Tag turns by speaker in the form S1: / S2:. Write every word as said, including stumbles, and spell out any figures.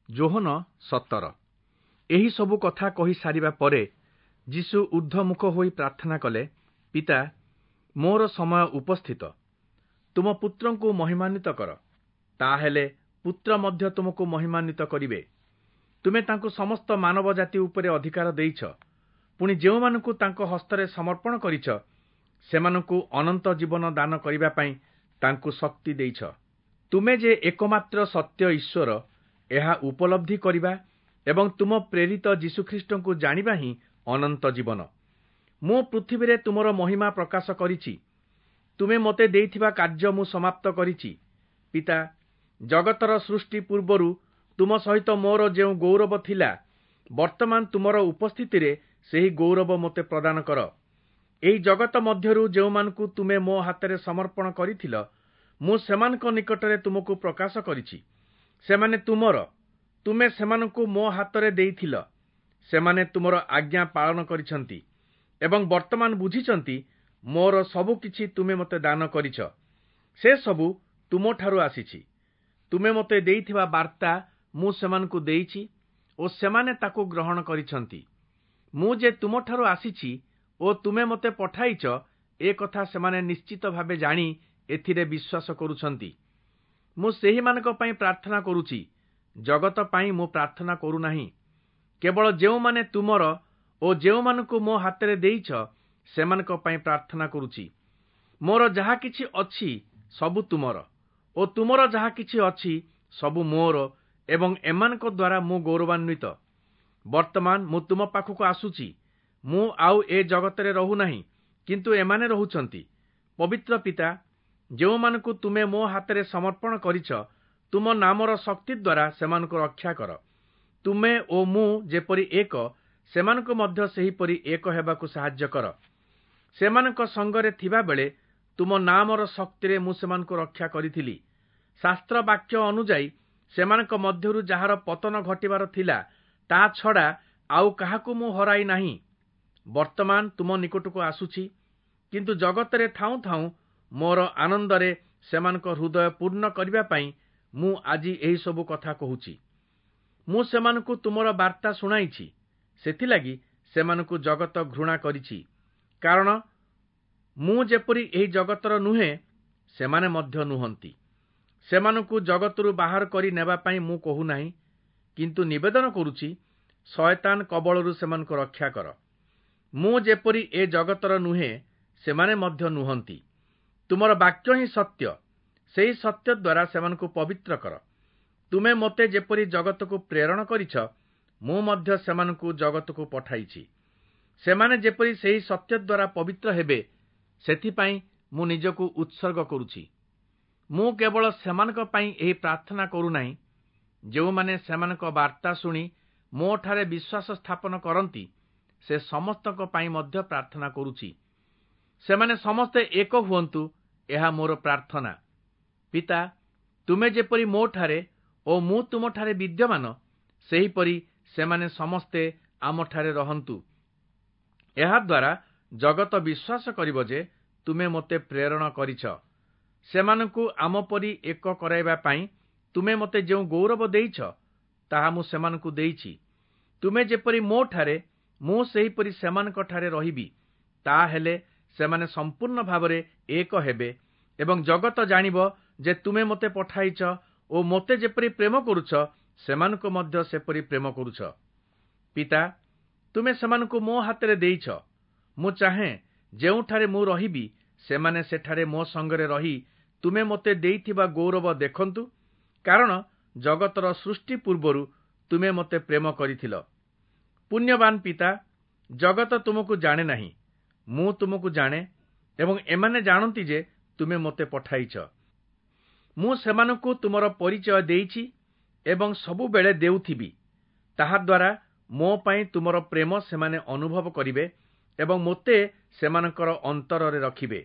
S1: ଯୋହନ ସତର। ଏହି ସବୁ କଥା କହି ସାରିବା ପରେ ଯୀଶୁ ଊର୍ଦ୍ଧ୍ୱମୁଖ ହୋଇ ପ୍ରାର୍ଥନା କଲେ, ପିତା, ମୋର ସମୟ ଉପସ୍ଥିତ, ତୁମ ପୁତ୍ରଙ୍କୁ ମହିମାନ୍ୱିତ କର, ତାହେଲେ ପୁତ୍ର ମଧ୍ୟ ତୁମକୁ ମହିମାନ୍ୱିତ କରିବେ। ତୁମେ ତାଙ୍କୁ ସମସ୍ତ ମାନବ ଜାତି ଉପରେ ଅଧିକାର ଦେଇଛ, ପୁଣି ଯେଉଁମାନଙ୍କୁ ତାଙ୍କ ହସ୍ତରେ ସମର୍ପଣ କରିଛ, ସେମାନଙ୍କୁ ଅନନ୍ତ ଜୀବନ ଦାନ କରିବା ପାଇଁ ତାଙ୍କୁ ଶକ୍ତି ଦେଇଛ। ତୁମେ ଯେ ଏକମାତ୍ର ସତ୍ୟ ଈଶ୍ୱର, ଏହା ଉପଲବ୍ଧି କରିବା ଏବଂ ତୁମ ପ୍ରେରିତ ଯୀଶୁଖ୍ରୀଷ୍ଟଙ୍କୁ ଜାଣିବା ହିଁ ଅନନ୍ତ ଜୀବନ। ମୁଁ ପୃଥିବୀରେ ତୁମର ମହିମା ପ୍ରକାଶ କରିଛି। ତୁମେ ମୋତେ ଦେଇଥିବା କାର୍ଯ୍ୟ ମୁଁ ସମାପ୍ତ କରିଛି। ପିତା, ଜଗତର ସୃଷ୍ଟି ପୂର୍ବରୁ ତୁମ ସହିତ ମୋର ଯେଉଁ ଗୌରବ ଥିଲା, ବର୍ତ୍ତମାନ ତୁମର ଉପସ୍ଥିତିରେ ସେହି ଗୌରବ ମୋତେ ପ୍ରଦାନ କର। ଏହି ଜଗତ ମଧ୍ୟରୁ ଯେଉଁମାନଙ୍କୁ ତୁମେ ମୋ ହାତରେ ସମର୍ପଣ କରିଥିଲ, ମୁଁ ସେମାନଙ୍କ ନିକଟରେ ତୁମକୁ ପ୍ରକାଶ କରିଛି। ସେମାନେ ତୁମର, ତୁମେ ସେମାନଙ୍କୁ ମୋ ହାତରେ ଦେଇଥିଲ। ସେମାନେ ତୁମର ଆଜ୍ଞା ପାଳନ କରିଛନ୍ତି ଏବଂ ବର୍ତ୍ତମାନ ବୁଝିଛନ୍ତି ମୋର ସବୁ କିଛି ତୁମେ ମୋତେ ଦାନ କରିଛ। ସେ ସବୁ ତୁମଠାରୁ ଆସିଛି। ତୁମେ ମୋତେ ଦେଇଥିବା ବାର୍ତ୍ତା ମୁଁ ସେମାନଙ୍କୁ ଦେଇଛି ଓ ସେମାନେ ତାକୁ ଗ୍ରହଣ କରିଛନ୍ତି। ମୁଁ ଯେ ତୁମଠାରୁ ଆସିଛି ଓ ତୁମେ ମୋତେ ପଠାଇଛ, ଏ କଥା ସେମାନେ ନିଶ୍ଚିତ ଭାବେ ଜାଣି ଏଥିରେ ବିଶ୍ୱାସ କରୁଛନ୍ତି। ମୁଁ ସେହିମାନଙ୍କ ପାଇଁ ପ୍ରାର୍ଥନା କରୁଛି, ଜଗତ ପାଇଁ ମୁଁ ପ୍ରାର୍ଥନା କରୁନାହିଁ। କେବଳ ଯେଉଁମାନେ ତୁମର ଓ ଯେଉଁମାନଙ୍କୁ ମୋ ହାତରେ ଦେଇଛ, ସେମାନଙ୍କ ପାଇଁ ପ୍ରାର୍ଥନା କରୁଛି। ମୋର ଯାହା କିଛି ଅଛି ସବୁ ତୁମର ଓ ତୁମର ଯାହା କିଛି ଅଛି ସବୁ ମୋର, ଏବଂ ଏମାନଙ୍କ ଦ୍ୱାରା ମୁଁ ଗୌରବାନ୍ୱିତ। ବର୍ତ୍ତମାନ ମୁଁ ତୁମ ପାଖକୁ ଆସୁଛି। ମୁଁ ଆଉ ଏ ଜଗତରେ ରହୁନାହିଁ, କିନ୍ତୁ ଏମାନେ ରହୁଛନ୍ତି। ପବିତ୍ର ପିତା, ଯେଉଁମାନଙ୍କୁ ତୁମେ ମୋ ହାତରେ ସମର୍ପଣ କରିଛ, ତୁମ ନାମର ଶକ୍ତି ଦ୍ୱାରା ସେମାନଙ୍କୁ ରକ୍ଷା କର। ତୁମେ ଓ ମୁଁ ଯେପରି ଏକ, ସେମାନଙ୍କୁ ମଧ୍ୟ ସେହିପରି ଏକ ହେବାକୁ ସାହାଯ୍ୟ କର। ସେମାନଙ୍କ ସଙ୍ଗରେ ଥିବାବେଳେ ତୁମ ନାମର ଶକ୍ତିରେ ମୁଁ ସେମାନଙ୍କୁ ରକ୍ଷା କରିଥିଲି। ଶାସ୍ତ୍ର ବାକ୍ୟ ଅନୁଯାୟୀ ସେମାନଙ୍କ ମଧ୍ୟରୁ ଯାହାର ପତନ ଘଟିବାର ଥିଲା, ତା ଛଡ଼ା ଆଉ କାହାକୁ ମୁଁ ହରାଇ ନାହିଁ। ବର୍ତ୍ତମାନ ତୁମ ନିକଟକୁ ଆସୁଛି, କିନ୍ତୁ ଜଗତରେ ଥାଉଁ ଥାଉଁ ମୋର ଆନନ୍ଦରେ ସେମାନଙ୍କ ହୃଦୟ ପୂର୍ଣ୍ଣ କରିବା ପାଇଁ ମୁଁ ଆଜି ଏହିସବୁ କଥା କହୁଛି। ମୁଁ ସେମାନଙ୍କୁ ତୁମର ବାର୍ତ୍ତା ଶୁଣାଇଛି, ସେଥିଲାଗି ସେମାନଙ୍କୁ ଜଗତ ଘୃଣା କରିଛି, କାରଣ ମୁଁ ଯେପରି ଏହି ଜଗତର ନୁହେଁ, ସେମାନେ ମଧ୍ୟ ନୁହନ୍ତି। ସେମାନଙ୍କୁ ଜଗତରୁ ବାହାର କରି ନେବା ପାଇଁ ମୁଁ କହୁନାହିଁ, କିନ୍ତୁ ନିବେଦନ କରୁଛି, ଶୟତାନ କବଳରୁ ସେମାନଙ୍କୁ ରକ୍ଷା କର। ମୁଁ ଯେପରି ଏ ଜଗତର ନୁହେଁ, ସେମାନେ ମଧ୍ୟ ନୁହନ୍ତି। ତୁମର ବାକ୍ୟ ହିଁ ସତ୍ୟ, ସେହି ସତ୍ୟ ଦ୍ୱାରା ସେମାନଙ୍କୁ ପବିତ୍ର କର। ତୁମେ ମୋତେ ଯେପରି ଜଗତକୁ ପ୍ରେରଣ କରିଛ, ମୁଁ ମଧ୍ୟ ସେମାନଙ୍କୁ ଜଗତକୁ ପଠାଇଛି। ସେମାନେ ଯେପରି ସେହି ସତ୍ୟ ଦ୍ୱାରା ପବିତ୍ର ହେବେ, ସେଥିପାଇଁ ମୁଁ ନିଜକୁ ଉତ୍ସର୍ଗ କରୁଛି। ମୁଁ କେବଳ ସେମାନଙ୍କ ପାଇଁ ଏହି ପ୍ରାର୍ଥନା କରୁନାହିଁ, ଯେଉଁମାନେ ସେମାନଙ୍କ ବାର୍ତ୍ତା ଶୁଣି ମୋଠାରେ ବିଶ୍ୱାସ ସ୍ଥାପନ କରନ୍ତି, ସେ ସମସ୍ତଙ୍କ ପାଇଁ ମଧ୍ୟ ପ୍ରାର୍ଥନା କରୁଛି। ସେମାନେ ସମସ୍ତେ ଏକ ହୁଅନ୍ତୁ, ଏହା ମୋର ପ୍ରାର୍ଥନା। ପିତା, ତୁମେ ଯେପରି ମୋଠାରେ ଓ ମୁଁ ତୁମଠାରେ ବିଦ୍ୟମାନ, ସେହିପରି ସେମାନେ ସମସ୍ତେ ଆମଠାରେ ରହନ୍ତୁ। ଏହାଦ୍ୱାରା ଜଗତ ବିଶ୍ୱାସ କରିବ ଯେ ତୁମେ ମୋତେ ପ୍ରେରଣ କରିଛ। ସେମାନଙ୍କୁ ଆମ ପରି ଏକ କରାଇବା ପାଇଁ ତୁମେ ମୋତେ ଯେଉଁ ଗୌରବ ଦେଇଛ, ତାହା ମୁଁ ସେମାନଙ୍କୁ ଦେଇଛି। ତୁମେ ଯେପରି ମୋଠାରେ, ମୁଁ ସେହିପରି ସେମାନଙ୍କଠାରେ ରହିବି, ତାହେଲେ ସେମାନେ ସମ୍ପୂର୍ଣ୍ଣ ଭାବରେ ଏକ ହେବେ ଏବଂ ଜଗତ ଜାଣିବ ଯେ ତୁମେ ମୋତେ ପଠାଇଛ ଓ ମୋତେ ଯେପରି ପ୍ରେମ କରୁଛ, ସେମାନଙ୍କୁ ମଧ୍ୟ ସେପରି ପ୍ରେମ କରୁଛ। ପିତା, ତୁମେ ସେମାନଙ୍କୁ ମୋ ହାତରେ ଦେଇଛ। ମୁଁ ଚାହେଁ ଯେଉଁଠାରେ ମୁଁ ରହିବି, ସେମାନେ ସେଠାରେ ମୋ ସଙ୍ଗରେ ରହି ତୁମେ ମୋତେ ଦେଇଥିବା ଗୌରବ ଦେଖନ୍ତୁ, କାରଣ ଜଗତର ସୃଷ୍ଟି ପୂର୍ବରୁ ତୁମେ ମୋତେ ପ୍ରେମ କରିଥିଲ। ପୁଣ୍ୟବାନ ପିତା, ଜଗତ ତୁମକୁ ଜାଣେ ନାହିଁ, ମୁଁ ତୁମକୁ ଜାଣେ, ଏବଂ ଏମାନେ ଜାଣନ୍ତି ଯେ ତୁମେ ମୋତେ ପଠାଇଛ। ମୁଁ ସେମାନଙ୍କୁ ତୁମର ପରିଚୟ ଦେଇଛି ଏବଂ ସବୁବେଳେ ଦେଉଥିବି। ତାହାଦ୍ୱାରା ମୋ ପାଇଁ ତୁମର ପ୍ରେମ ସେମାନେ ଅନୁଭବ କରିବେ ଏବଂ ମୋତେ ସେମାନଙ୍କର ଅନ୍ତରରେ ରଖିବେ।